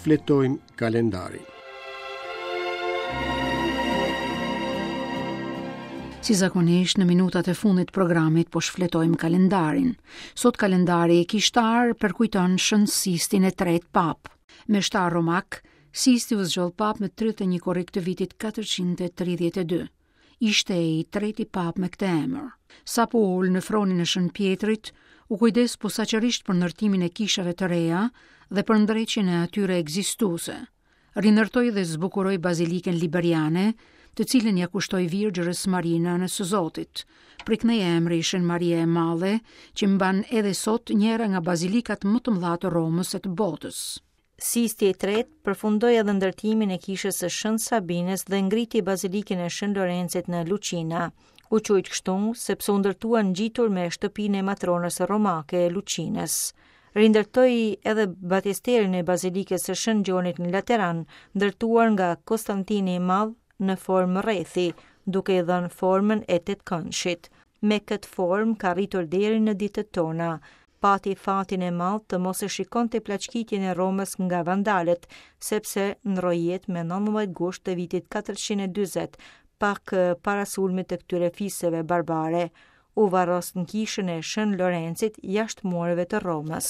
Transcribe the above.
shfletojmë kalendarin. Si zakonisht në minutat e fundit të programit po shfletojmë kalendarin. Sot kalendari kishtar përkujton Shën Sistin e tretë papë. Meshtar romak, Sisti u zgjodh papë më 31 korrik të vitit 432. Ishte i treti papë me këtë emër. Sapo u ul në fronin e Shën Pjetrit, u kujdes posaçërisht për ndërtimin e kishave të reja dhe për ndreqjen e atyre ekzistuese. Rindërtoi dhe zbukuroi bazilikën liberiane, të cilën ia kushtoi Virgjërës Mari Nënës së Zotit. Prej këndej emri Shën Maria e Madhe, që mban edhe sot njëra nga bazilikat më të mëdha të Romës e të botës. Sisti i tretë përfundoi edhe ndërtimin e kishës së Shën Sabinës dhe ngriti bazilikën e Shën Lorencit në Lucina. U quajt kështu sepse u ndërtua ngjitur me shtëpinë e matronës romake Lucinës. Rindërtoi edhe batisterin e bazilikës së Shën Gjonit në Lateran, ndërtuar nga Konstantini i Madh në formë rrethi, duke i dhënë formën e tetëkëndshit. Me këtë formë ka arritur deri në ditët tona. Pati fatin e madh të mos e shikonte plaçkitjen e Romës nga vandalët, sepse ndërroi jetë me 19 gusht të vitit 440, pak para sulmit të këtyre fiseve barbare. U varros në kishën e Shën Lorencit jashtë mureve të Romës.